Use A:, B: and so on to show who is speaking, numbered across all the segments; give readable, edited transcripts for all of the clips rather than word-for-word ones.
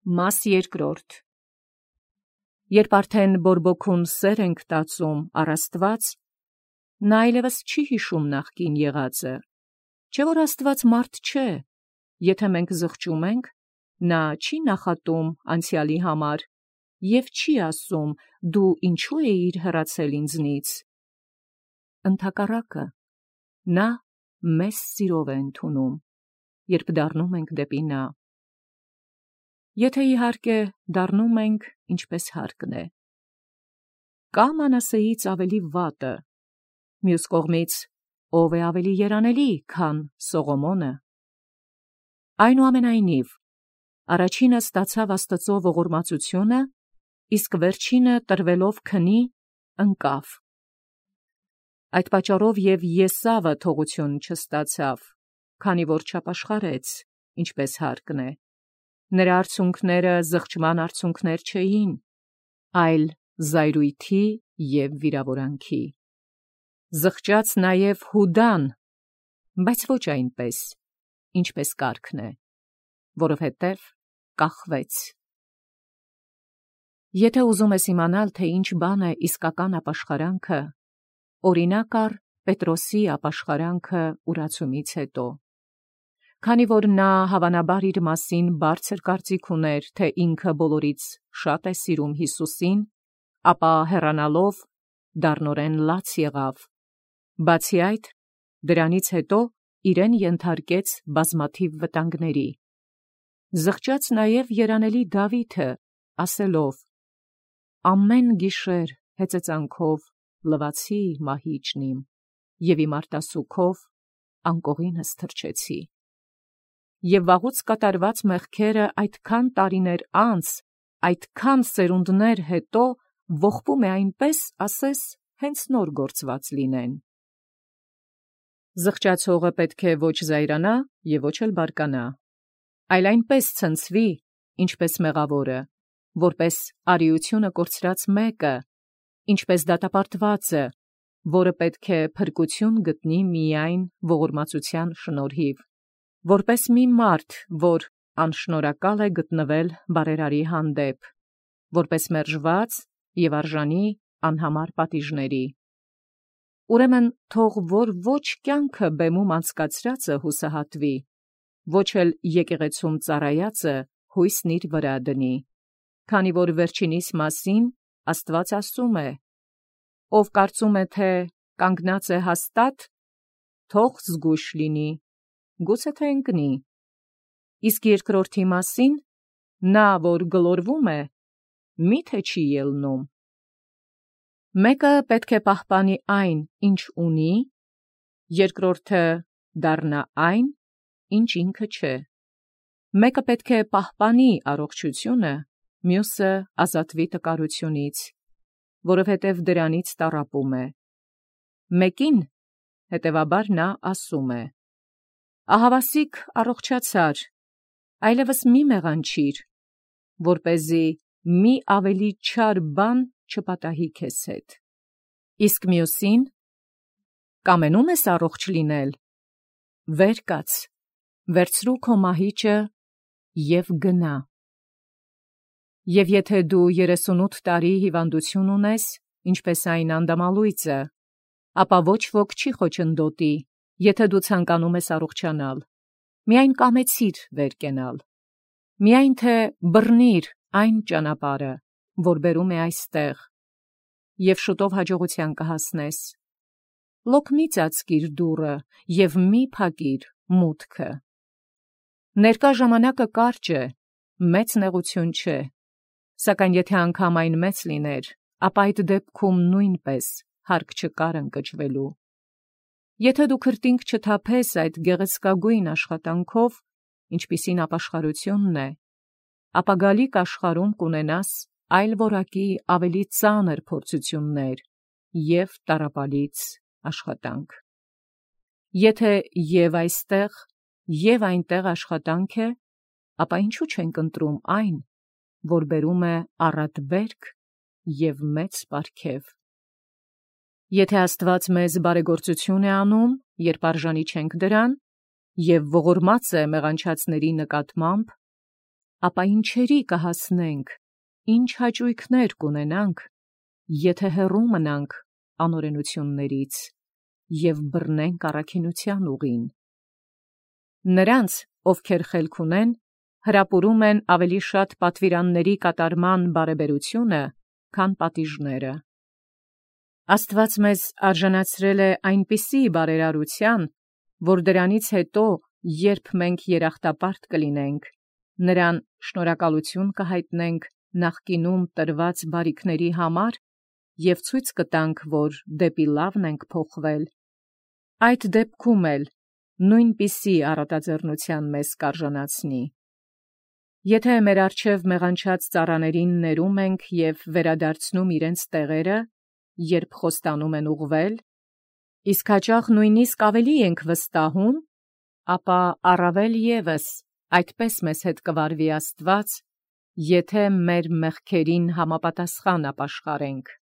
A: Մաս երկրորդ. Երբ արդեն բորբոքուն սեր ենք տածում առ Աստված, նա այլևս չի հիշում նախկին եղածը, չէ որ Աստված մարդ չէ, եթե մենք զղջում ենք, նա չի նախատում անցյալի համար և չի ասում դու ինչու էիր հեռացել ինձնից. ընդհակառակը, նա մեզ սիրով է ընդունում, երբ դառնում ենք դեպի նա. եթե իհարկե դառնում ենք, ինչպես հարկն է։ Կա Մանասեից ավելի վատը, մյուս կողմից ով է ավելի երանելի, քան Սողոմոնը։ Այնուամենայնիվ, առաջինը ստացավ Աստծո ողորմածությունը, իսկ վերջինը տրվելով քնի, ընկավ։ Այդ պատճառով և Եսավը թողություն չստացավ, քանի որ չապաշխարեց, ինչպես հարկն է։ Նրա արցունքները զղջման արցունքներ չէին, այլ զայրույթի և վիրավորանքի։ Զղջաց նաև Հուդան, բայց ոչ այնպես, ինչպես կարգն է, որովհետև կախվեց։ Եթե ուզում ես իմանալ, թե ինչ բան է իսկական ապաշխարանքը, օրինակ առ Պետրոսի ապաշխարանքը ուրացումից հետո։ Քանի որ նա հավանաբար իր մասին բարձր կարծիք ուներ, թե ինքը բոլորից շատ է սիրում Հիսուսին, ապա հեռանալով դառնորեն լաց եղավ։ Բացի այդ, դրանից հետո իրեն ենթարկեց բազմաթիվ վտանգների։ Զղջաց նաև երանելի Դավիթը, ասելով. «Ամեն գիշեր հեծեծանքով լվացի մահիճն իմ, և իմ արտասուքով անկողինս թրջեցի»։ Եվ վաղուց կատարված մեղքերը այդքան տարիներ անց, այդքան սերունդներ հետո ողբում է այնպես, ասես հենց նոր գործված լինեն։ Զղջացողը պետք է ոչ զայրանա և ոչ էլ բարկանա, այլ այնպես ցնցվի, ինչպես մեղավորը, որպես արիությունը կորցրած մեկը, ինչպես դատապարտվածը, որը պետք է փրկություն գտնի միայն ողորմածության շնորհիվ, որպես մի մարդ, որ անշնորհակալ է գտնվել բարերարի հանդեպ, որպես մերժված և արժանի անհամար պատիժների։ Ուրեմն թող որ ոչ կյանքը բեմում անցկացրածը հուսահատվի, ոչ էլ եկեղեցում ծառայածը հույսն իր վրա դնի, քանի որ վերջինիս մասին Աստված ասում է. «Ով կարծում է, թե կանգնած է հաստատ, թող զգույշ լինի, գուցե թե ընկնի, իսկ երկրորդի մասին, նա, որ գլորվում է, մի՞թե չի ելնում»։ Մեկը պետք է պահպանի այն, ինչ ունի, երկրորդը դառնա այն, ինչ ինքը չէ։ Մեկը պետք է պահպանի առողջությունը, մյուսը ազատվի տկարությունից, որովհետև դրանից տառապում է։ Մեկին, հետևաբար նա ասում է. «Ահավասիկ առողջացար, այլևս մի մեղանչիր, որպեսզի մի ավելի չար բան չպատահի քեզ հետ»։ Իսկ մյուսին. «Կամենում ես առողջ լինել, վեր կաց, վերցրու քո մահիճը և գնա»։ Եվ եթե դու 38 տարի հիվանդություն ունես, ինչպես այն անդամալույծը, ապա ոչ ոք չի խոչընդոտի, եթե դու ցանկանում ես առողջանալ, միայն կամեցիր վեր կենալ, միայն թե բռնիր այն ճանապարհը, որ բերում է այստեղ, և շուտով հաջողության կհասնես։ Լոկ մի ծածկիր դուռը և մի փակիր մուտքը։ Ներկա ժամանակը կարճ է, մեծ նեղություն չէ, սակայն եթե անգամ այն մեծ լիներ, ապա այդ դեպքում նույնպես հարկ չկար ընկճվելու։ Եթե դու քրտինք չթափես այդ գեղեցկագույն աշխատանքով, ինչպիսին ապաշխարությունն է, ապա գալիք աշխարհում կունենաս այլ որակի ավելի ծանր փորձություններ և տառապալից աշխատանք։ Եթե և այստեղ, և այնտեղ աշխատանք է, ապա ինչու չենք ընտրում այն, որ բերում է առատ վերք և մեծ պարգև։ Եթե Աստված մեզ բարեգործություն է անում, երբ արժանի չենք դրան, և ողորմած է մեղանչածների նկատմամբ, ապա ինչերի կհասնենք, ինչ հաճույքներ կունենանք, եթե հեռու մնանք անօրենություններից և բռնենք առաքինության ուղին։ Նրանց, ովքեր խելք ունեն, հրապուրում են ավելի շատ պատվիրանների կատարման բարեբերությունը, քան պատիժները։ Աստված մեզ արժանացրել է այնպիսի բարերարության, որ դրանից հետո, երբ մենք երախտապարտ կլինենք, նրան շնորհակալություն կհայտնենք նախկինում տրված բարիքների համար և ցույց կտանք, որ դեպի լավն ենք փոխվել։ Այդ դեպքում էլ նույնպիսի առատաձեռնության մեզ կարժանացնի։ Եթե մեր առջև մեղանչած ծառաներին ներում ենք և վերադարձնում իրենց տեղերը, երբ խոստանում են ուղղվել, իսկ հաճախ նույնիսկ ավելի ենք վստահում, ապա առավել ևս այդպես մեզ հետ կվարվի Աստված, եթե մեր մեղքերին համապատասխան ապաշխարենք։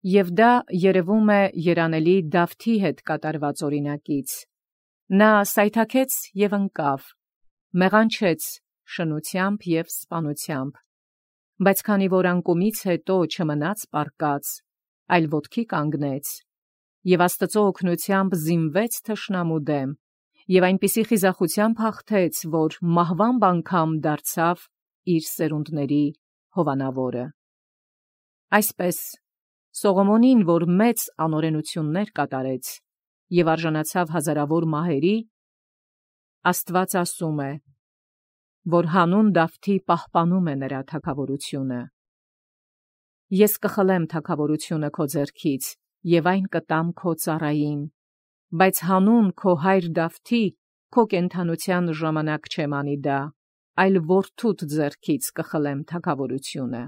A: Եվ դա երևում է երանելի Դավթի հետ կատարված օրինակից։ Նա սայթաքեց և ընկավ, մեղանչեց շնությամբ և սպանությամբ, բայց քանի որ անկումից հետո չմնաց պառկած, այլ ոտքի կանգնեց, և Աստծո օգնությամբ զինվեց թշնամու դեմ, և այնպիսի խիզախությամբ հաղթեց, որ մահվամբ անգամ դարձավ իր սերունդների հովանավորը։ Այսպես, Սողոմոնին, որ մեծ անօրենություններ կատարեց և արժանացավ հազարավոր մահերի, Աստված ասում է, որ հանուն Դավթի պահպանում է նրա թագավորությունը։ Ես կխլեմ թագավորությունը քո ձեռքից և այն կտամ քո ծառային, բայց հանուն քո հայր Դավթի քո կենդանության ժամանակ չեմ անի դա, այլ որդուդ ձեռքից կխլեմ թագավորությունը։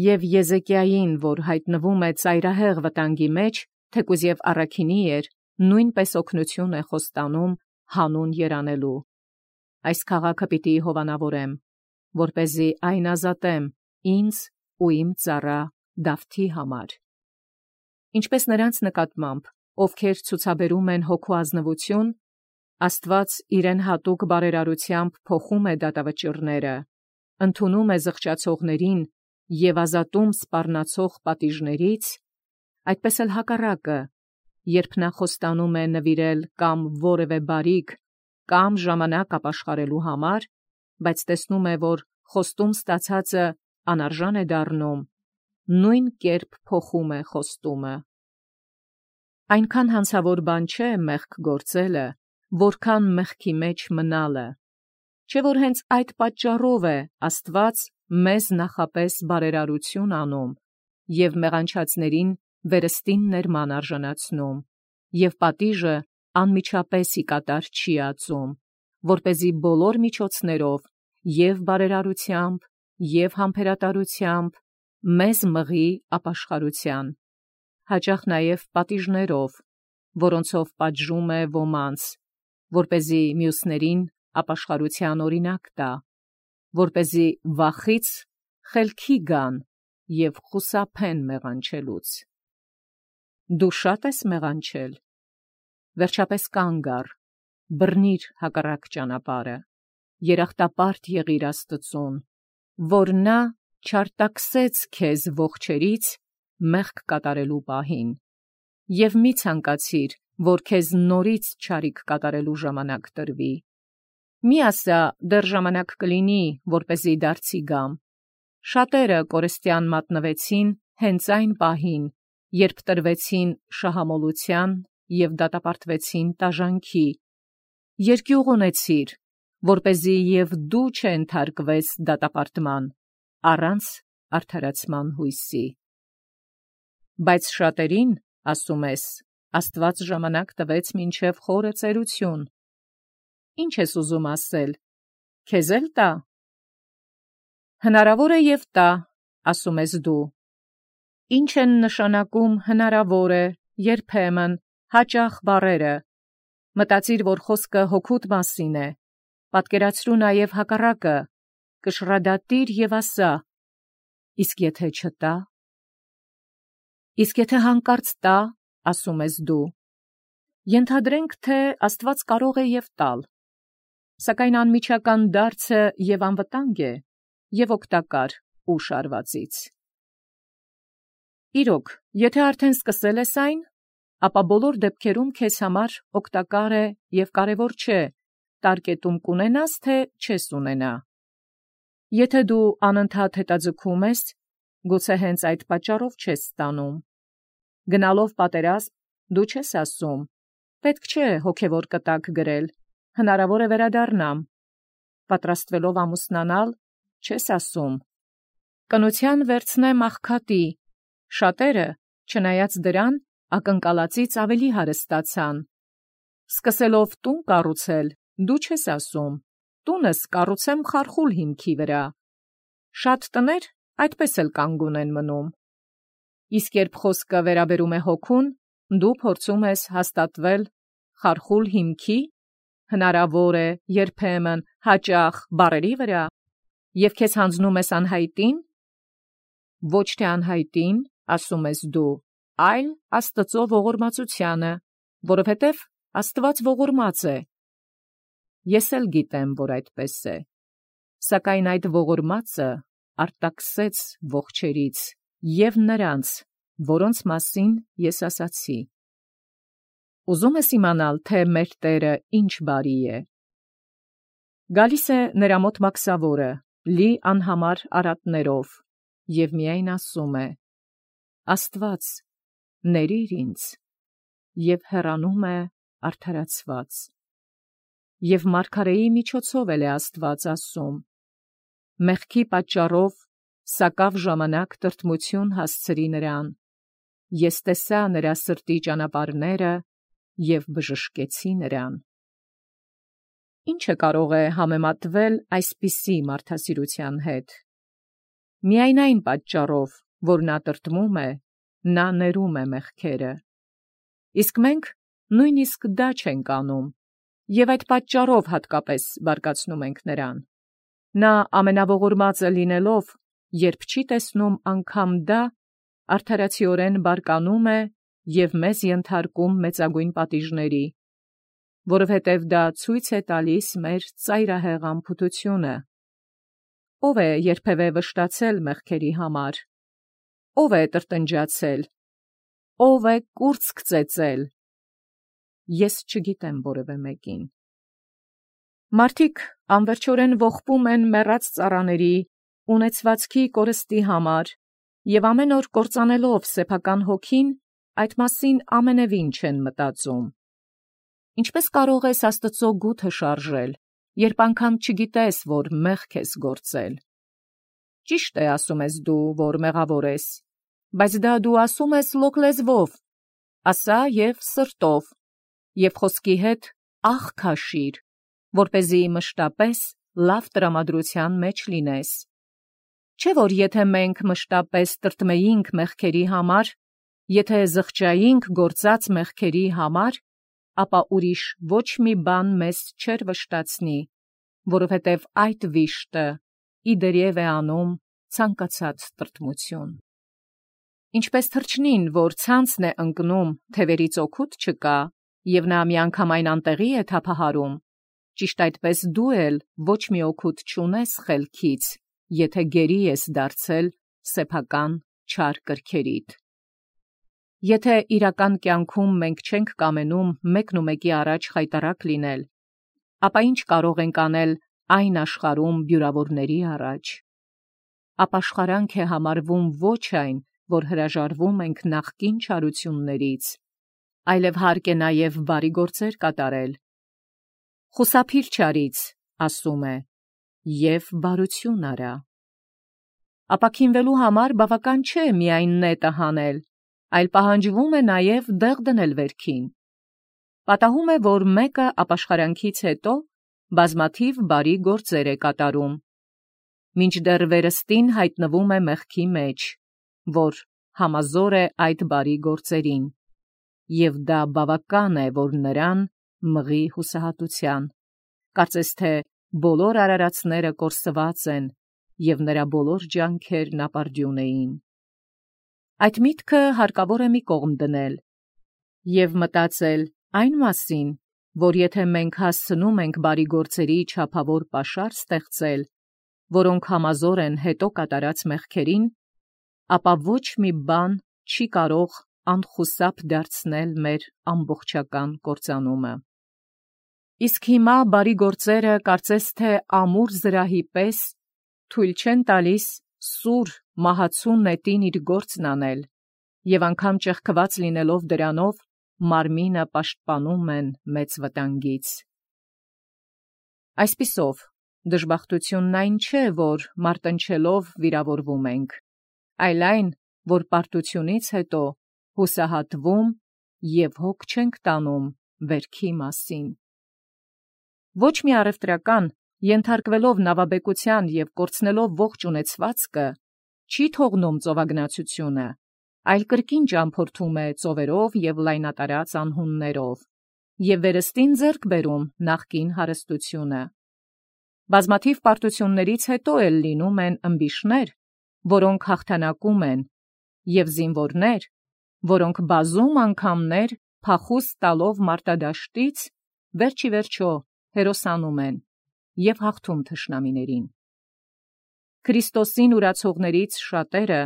A: Եվ Եզեկիային, որ հայտնվում է ծայրահեղ վտանգի մեջ, թեկուզ և առաքինի էր, նույնպես օգնություն է խոստանում հանուն երանելու։ Այս քաղաքը պիտի հովանավորեմ, որպեսզի այն ազատեմ ինձ ու իմ ծառա Դավթի համար։ Ինչպես նրանց նկատմամբ, ովքեր ցուցաբերում են հոգու ազնվություն, Աստված իրեն հատուկ բարերարությամբ փոխում է դատավճիռները, ընդունում է զղջացողներին և ազատում սպառնացող պատիժներից, այդպես էլ հակառակը, երբ նա խոստանում է նվիրել կամ որևէ բարիք կամ ժամանակ ապաշխարելու համար, բայց տեսնում է, որ խոստում ստացածը անարժան է դառնում, նույն կերպ փոխում է խոստումը։ Այնքան հանցավոր բան չէ մեղք գործելը, որքան մեղքի մեջ մնալը, չէ՞ որ հենց այդ պատճառով է Աստված մեզ նախապես բարերարություն անում և մեղանչածներին վերստին ներման արժանացնում, և պատիժը անմիջապես ի կատար չի ածում, որպեսզի բոլոր միջոցներով և բարերարությամբ, և համբերատարությամբ մեզ մղի ապաշխարության, հաճախ նաև պատիժներով, որոնցով պատժում է ոմանց, որպեսզի մյուսներին ապաշխարության օրինակ տա, որպեսզի վախից խելքի գան և խուսափեն մեղանչելուց։ Դու շատ ես մեղանչել, վերջապես կանգ առ, բռնիր հակառակ ճանապարհը, երախտապարտ եղիր Աստծուն, որ նա չարտաքսեց քեզ ողջերից մեղք կատարելու պահին, և մի ցանկացիր, որ քեզ նորից չարիք կատարելու ժամանակ տրվի։ Մի ասա, դեռ ժամանակ կլինի, որպեսզի դարձի գամ։ Շատերը կորստյան մատնվեցին հենց այն պահին, երբ տրվեցին շահամոլության և դատապարտվեցին տաժանքի։ Երկյուղ ունեցիր, որպեսզի և դու չենթարկվես դատապարտման, առանց արդարացման հույսի։ Բայց շատերին, ասում ես, Աստված ժամանակ տվեց մինչև խորը ծերություն։ Ի՞նչ ես ուզում ասել, քեզ էլ տա։ Հնարավոր է և տա, ասում ես դու։ Ինչ են նշանակում հնարավոր է, երբեմն, հաճախ բառերը։ Մտածիր, որ խոսքը հոգուդ մասին է։ Պատկերացրու նաև հակառակը, կշռադատիր և ասա. իսկ եթե չտա։ Իսկ եթե հանկարծ տա, ասում ես դու։ Ենթադրենք, թե Աստված կարող է և տալ։ Սակայն անմիջական դարձը եւ անվտանգ է եւ օգտակար ուշ արվածից։ Իրոք, եթե արդեն սկսել ես այն, ապա բոլոր դեպքերում քեզ համար օգտակար է եւ կարեւոր չէ տարկետում կունենաս թե չես ունենա։ Եթե դու անընդհատ հետաձգում ես, գուցե հենց այդ պատճառով չես ստանում։ Գնալով պատերազմ դու չես ասում. պետք չէ հոգևոր կտակ գրել, հնարավոր է վերադառնամ։ Պատրաստվելով ամուսնանալ, չես ասում. կնության վերցնեմ աղքատի, շատերը, չնայած դրան, ակնկալածից ավելի հարստացան։ Սկսելով տուն կառուցել, դու չես ասում. տունս կառուցեմ խարխուլ հիմքի վրա։ Շատ տներ այդպես էլ կանգուն են մնում։ Իսկ երբ խոսքը վերաբերում է հոգուն, դու փորձում ես հաստատվել խարխուլ հիմքի, հնարավոր է երբեմն հաճախ բառերի վրա, եւ քեզ հանձնում ես անհայտին, ոչ թե անհայտին, ասում ես դու, այլ Աստծո ողորմածությանը, որովհետև Աստված ողորմած է։ Ես էլ գիտեմ, որ այդպես է, սակայն այդ ողորմածը արտաքսեց ողջերից եւ նրանց, որոնց մասին ես ասացի։ Ուզում ես իմանալ, թե մեր Տերը ինչ բարի է։ Գալիս է նրա մոտ մաքսավորը, լի անհամար արատներով, եւ միայն ասում է. Աստված, ներիր ինձ, եւ հեռանում է արդարացված։ Եվ մարգարեի միջոցով էլ է Աստված ասում. մեղքի պատճառով սակավ ժամանակ տրտմություն հասցրի նրան, ես տեսա նրա սրտի ճանապարհները եւ բժշկեցի նրան։ Ինչը կարող է համեմատվել այսպիսի մարդասիրության հետ։ Միայն այն պատճառով, որ նա տրտմում է, նա ներում է մեղքերը։ Իսկ մենք նույնիսկ դա չենք անում, եւ այդ պատճառով հատկապես բարկացնում ենք նրան։ Նա ամենաողորմածը լինելով, երբ չի տեսնում անգամ դա, արդարացիորեն բարկանում է եւ մեզ ենթարկում մեծագույն պատիժների, որովհետև դա ցույց է տալիս մեր ծայրահեղ անփութությունը։ Ո՞վ է երբևէ վշտացել մեղքերի համար։ Ո՞վ է տրտնջացել։ Ո՞վ է կուրծք ծեծել։ Ես չգիտեմ որևէ մեկին։ Մարդիկ անվերջորեն ողբում են մեռած ծառաների, ունեցվածքի կորստի համար եւ ամեն օր կործանելով սեփական հոգին, այդ մասին ամենևին չեն մտածում։ Ինչպես կարող ես Աստծո գութը շարժել, երբ անգամ չգիտես, որ մեղք ես գործել։ Ճիշտ է, ասում ես դու, որ մեղավոր ես, բայց դա դու ասում ես լոկ լեզվով, ասա եւ սրտով, եւ խոսքի հետ աղ քաշիր, որպեսզի մշտապես լավ տրամադրության մեջ լինես։ Չէ՞ որ եթե մենք մշտապես տրտմեինք մեղքերի համար, եթե զղջայինք գործած մեղքերի համար, ապա ուրիշ ոչ մի բան մեզ չէր վշտացնի, որովհետև այդ վիշտը իդերև է անում ցանկացած տրտմություն։ Ինչպես թռչնին, որ ցանցն է ընկնում, թևերից օգուտ չկա, եւ նա միանգամայն անտեղի է թափահարում, ճիշտ այդպես դու էլ ոչ մի օգուտ չունես խելքից, եթե գերի ես դարձել սեփական չար կրքերիդ։ Եթե իրական կյանքում մենք չենք կամենում մեկնումեկի առաջ խայտառակ լինել, ապա ինչ կարող ենք անել այն աշխարհում բյուրավորների առաջ։ Ապաշխարանք է համարվում ոչ այն, որ հրաժարվում ենք նախկին չարություններից, այլև հարկ է նաև բարի գործեր կատարել։ Խուսափիր չարից, ասում է, և բարություն արա։ Ապաքինվելու համար բավական չէ միայն նետը հանել, այլ պահանջվում է նաև դեղ դնել վերքին։ Պատահում է, որ մեկը ապաշխարանքից հետո բազմաթիվ բարի գործեր է կատարում, մինչդեռ վերստին հայտնվում է մեղքի մեջ, որ համազոր է այդ բարի գործերին, և դա բավական է, որ նրան մղի հուսահատության, կարծես թե բոլոր արարածները կորսված են, և նրա բոլոր ջանքերն ապարդյուն էին։ Այդ միտքը հարկավոր է մի կողմ դնել և մտածել այն մասին, որ եթե մենք հասցնում ենք բարի գործերի չափավոր պաշար ստեղծել, որոնք համազոր են հետո կատարած մեղքերին, ապա ոչ մի բան չի կարող անխուսափ դարձնել մեր ամբողջական կործանումը։ Իսկ հիմա բարի գործերը կարծես թե ամուր զրահի պես թույլ չեն տալիս սուր մահացու նետին իր գործն անել, և անգամ ճեղքված լինելով դրանով, մարմինը պաշտպանում են մեծ վտանգից։ Այսպիսով, դժբախտությունն այն չէ, որ մարտնչելով վիրավորվում ենք, այլ այն, որ պարտությունից հետո հուսահատվում և հոգ չենք տանում վերքի մասին։ Ոչ մի առևտրական, ենթարկվելով նավաբեկության և կորցնելով ողջ ունեցվածքը, չի թողնում ծովագնացությունը, այլ կրկին ճամփորդում է ծովերով և լայնատարած անհուններով, և վերստին ձեռք բերում նախկին հարստությունը։ Բազմաթիվ պարտություններից հետո էլ լինում են ըմբիշներ, որոնք հաղթանակում են, և զինվորներ, որոնք բազում անգամներ փախուստ տալով մարտադաշտից, վերջիվերջո հերոսանում են և հաղթում թշնամիներին։ Քրիստոսին ուրացողներից շատերը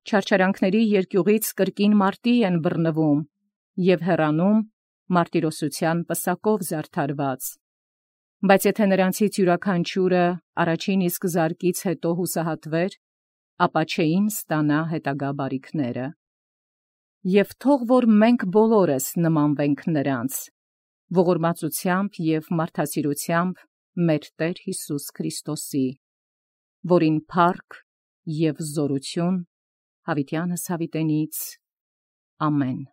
A: չարչարանքների երկյուղից կրկին մարտի են բռնվում և հեռանում մարտիրոսության պսակով զարդարված։ Բայց եթե նրանցից յուրաքանչյուրը առաջին իսկ զարկից հետո հուսահատվեր, ապա չէին ստանա հետագա բարիքները։ Եվ թող որ մենք բոլորս նմանվենք նրանց, ողորմածությամբ և մարդասիրությամբ մեր Տեր Հիսուս Քրիստոսի, որին փառք և զորություն հավիտյանս հավիտենից։ Ամեն։